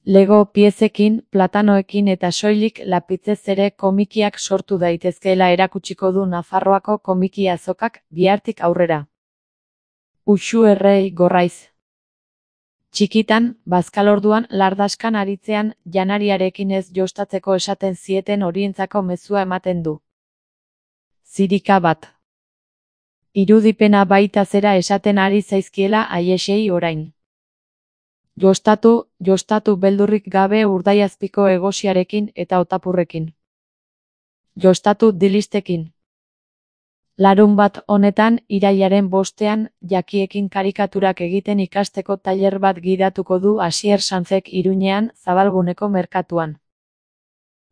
Lego piezekin, platanoekin eta soilik lapitzez ere komikiak sortu daitezkeela erakutsiko du Nafarroako komiki azokak bihartik aurrera. Uxu Errei Gorraiz. Txikitan, bazkalorduan lardaskan aritzean, janariarekin ez jostatzeko esaten zieten horientzako mezua ematen du. Zirika bat. Irudipena baita zera esaten ari zaizkiela aiesei orain. Jostatu beldurrik gabe urdaiazpiko egosiarekin eta otapurrekin. Jostatu dilistekin. Larunbat honetan, irailaren 5ean, jakiekin karikaturak egiten ikasteko tailer bat gidatuko du Asier Sanzek Iruñean, Zabalguneko merkatuan.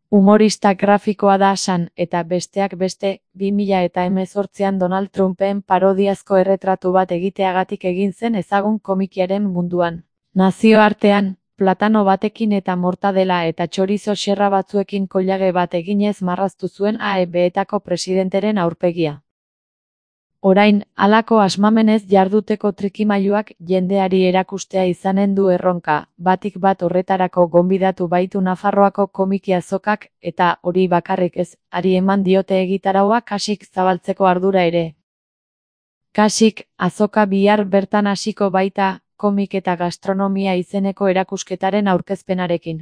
Humorista grafikoa da San, eta besteak beste, 2018an Donald Trumpen parodiazko erretratu bat egiteagatik egin zen ezagun komikiaren munduan. Nazioartean, platano batekin eta mortadela eta txorizo xerra batzuekin koilage bat eginez marraztu zuen AEB-etako presidenteren aurpegia. Orain, halako asmamenez jarduteko trikimailuak jendeari erakustea izanen du erronka, batik bat horretarako gonbidatu baitu Nafarroako komiki azokak, eta hori bakarrik ez, ari eman diote egitaraua Kasik zabaltzeko ardura ere. Kasik, azoka bihar bertan hasiko baita, komik eta gastronomia izeneko erakusketaren aurkezpenarekin.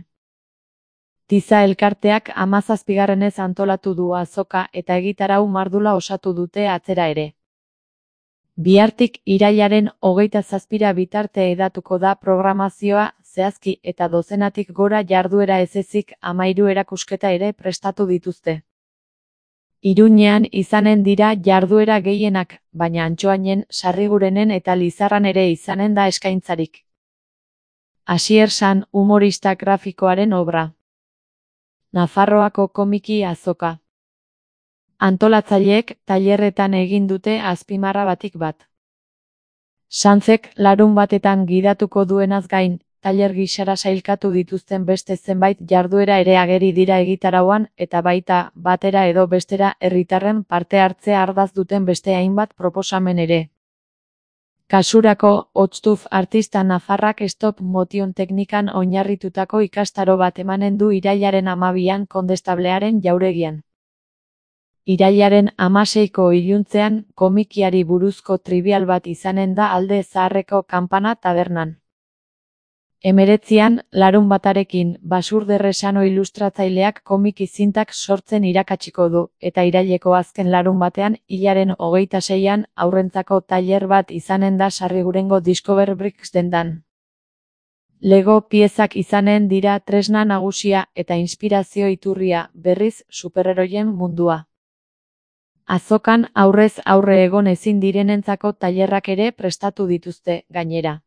Tiza elkarteak 17. antolatu du azoka eta egitarau mardula osatu dute atzera ere. Bihartik irailaren 27 bitarte edatuko da programazioa, zehazki eta dozenatik gora jarduera ez ezik 13 erakusketa ere prestatu dituzte. Iruñean izanen dira jarduera gehienak, baina Antsoainen, Sarrigurenen eta Lizarran ere izanen da eskaintzarik. Asier San humorista grafikoaren obra. Nafarroako komiki azoka. Antolatzaileek tailerretan egin dute azpimarra batik bat. Sanzek larun batetan gidatuko duenaz gain, tailer gisara sailkatu dituzten beste zenbait jarduera ere ageri dira egitarauan eta baita, batera edo bestera herritarren parte hartzea ardaz duten beste hainbat proposamen ere. Kasurako, Otstuf artista nafarrak stop motion teknikan oinarritutako ikastaro bat emanen du irailaren 12an Kondestablearen jauregian. Irailaren 16ko iluntzean, komikiari buruzko trivial bat izanen da Alde Zaharreko Kanpana tabernan. 19an, larun batarekin, Basurderresano ilustratzaileak komiki zintak sortzen irakatsiko du, eta iraileko azken larun batean, hilaren 26an, aurrentzako tailer bat izanen da Sarrigurengo Discover Bricks dendan. Lego piezak izanen dira tresna nagusia eta inspirazio iturria, berriz, superheroien mundua. Azokan aurrez aurre egon ezin direnentzako tailerrak ere prestatu dituzte, gainera.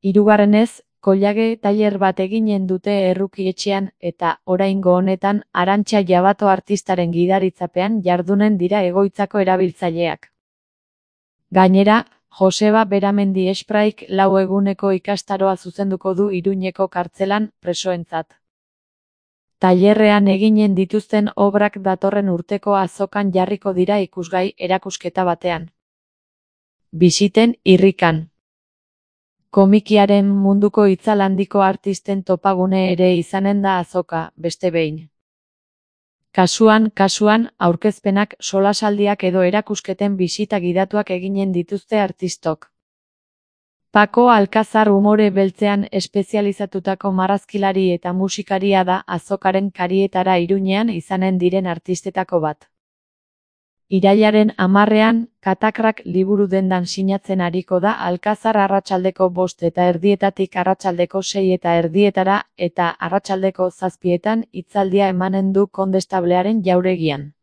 Hirugarrenez, koilage tailer bat eginen dute Erruki etxean eta, oraingo honetan, Arantxa Jabato artistaren gidaritzapean jardunen dira egoitzako erabiltzaileak. Gainera, Joseba Beramendi Espraik 4 eguneko ikastaroa zuzenduko du Iruñeko kartzelan presoentzat. Tailerrean eginen dituzten obrak datorren urteko azokan jarriko dira ikusgai erakusketa batean. Bisiten irrikan. Komikiaren munduko itzal handiko artisten topagune ere izanen da azoka, beste behin. Kasuan, aurkezpenak, solasaldiak edo erakusketen bisita gidatuak eginen dituzte artistok. Paco Alkazar umore beltzean espezializatutako marrazkilari eta musikaria da azokaren karietara Iruñean izanen diren artistetako bat. Irailaren 10ean, Katakrak liburu dendan sinatzen ariko da Alkazar arratsaldeko 5:30 arratsaldeko 6:30 eta arratsaldeko 7etan hitzaldia emanen du Kondestablearen jauregian.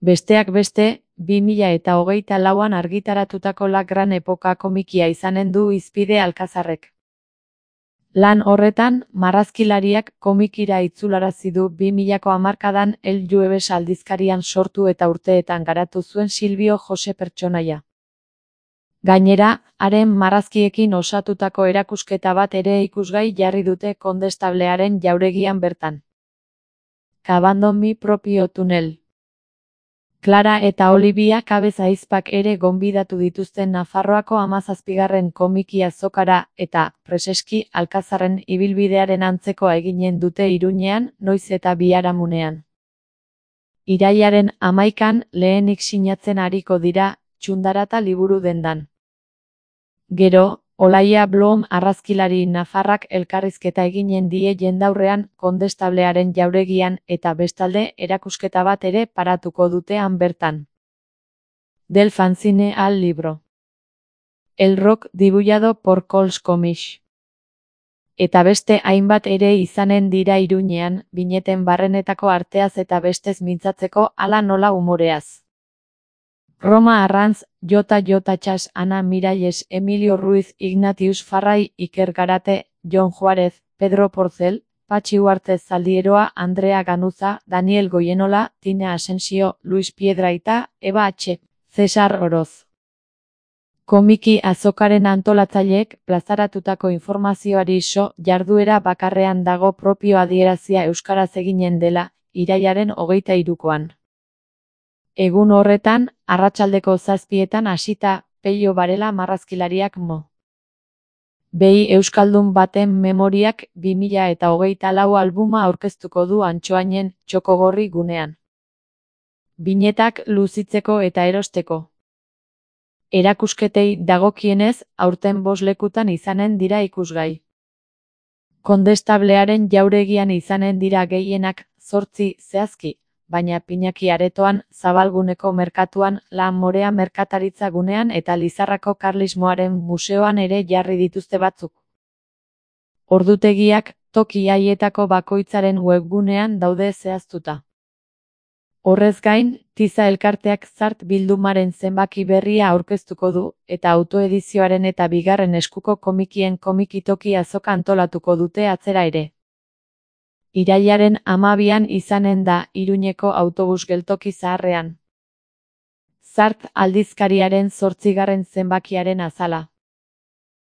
Besteak beste, 2024an argitaratutako La Gran Epoka komikia izanen du hizpide Alkazarrek. Lan horretan, marrazkilariak komikira itzularazi du 2000ko hamarkadan El Jueves aldizkarian sortu eta urteetan garatu zuen Silvio Jose pertsonaia. Gainera, haren marrazkiekin osatutako erakusketa bat ere ikusgai jarri dute Kondestablearen jauregian bertan. Cavando mi propio túnel. Clara eta Olivia Cabez ahizpak ere gonbidatu dituzten Nafarroako 17. komiki azokara eta, preseski, Alkazarren ibilbidearen antzekoa eginen dute Iruñean, noiz eta biharamunean. Irailaren 11an lehenik sinatzen ariko dira, Txundarata liburu dendan. Gero, Olaia Blom argazkilari nafarrak elkarrizketa eginen die jendaurrean Kondestablearen jauregian eta bestalde erakusketa bat ere paratuko dutean bertan. Del fanzine al libro. El rock dibujado por Cols Comics. Eta beste hainbat ere izanen dira Iruñean, bineten barrenetako arteaz eta bestez mintzatzeko hala nola umoreaz. Roma Arranz, Jota Txas, Ana Miralles, Emilio Ruiz, Ignatius Farray, Iker Garate, Jon Juárez, Pedro Porcel, Patxi Uarte Zaldieroa, Andrea Ganuza, Daniel Goienola, Tina Asensio, Luis Piedraita, Eba H. Cesar Oroz. Komiki azokaren antolatzaileek plazaratutako informazioari jarduera bakarrean dago propio adierazia euskaraz eginen dela, irailaren 23koan. Egun horretan, arratsaldeko 7etan hasita, Pello Barela marrazkilariak mo. Behi euskaldun baten memoriak 2024 albuma aurkeztuko du Antsoainen, Txokogorri gunean. Binetak luzitzeko eta erosteko. Erakusketei dagokienez, aurten 5 lekutan izanen dira ikusgai. Kondestablearen jauregian izanen dira gehienak, 8 zehazki. Baina Pinaki Aretoan, Zabalguneko merkatuan, La Morea merkataritza gunean eta Lizarrako Karlismoaren museoan ere jarri dituzte batzuk. Ordutegiak, toki haietako bakoitzaren webgunean daude zehaztuta. Horrez gain, Tiza elkarteak Zart bildumaren zenbaki berria aurkeztuko du, eta autoedizioaren eta bigarren eskuko komikien komikitoki azoka antolatuko dute atzera ere. Irailaren 12an izanen da Iruñeko autobus geltoki zaharrean. Zart aldizkariaren 8. zenbakiaren azala.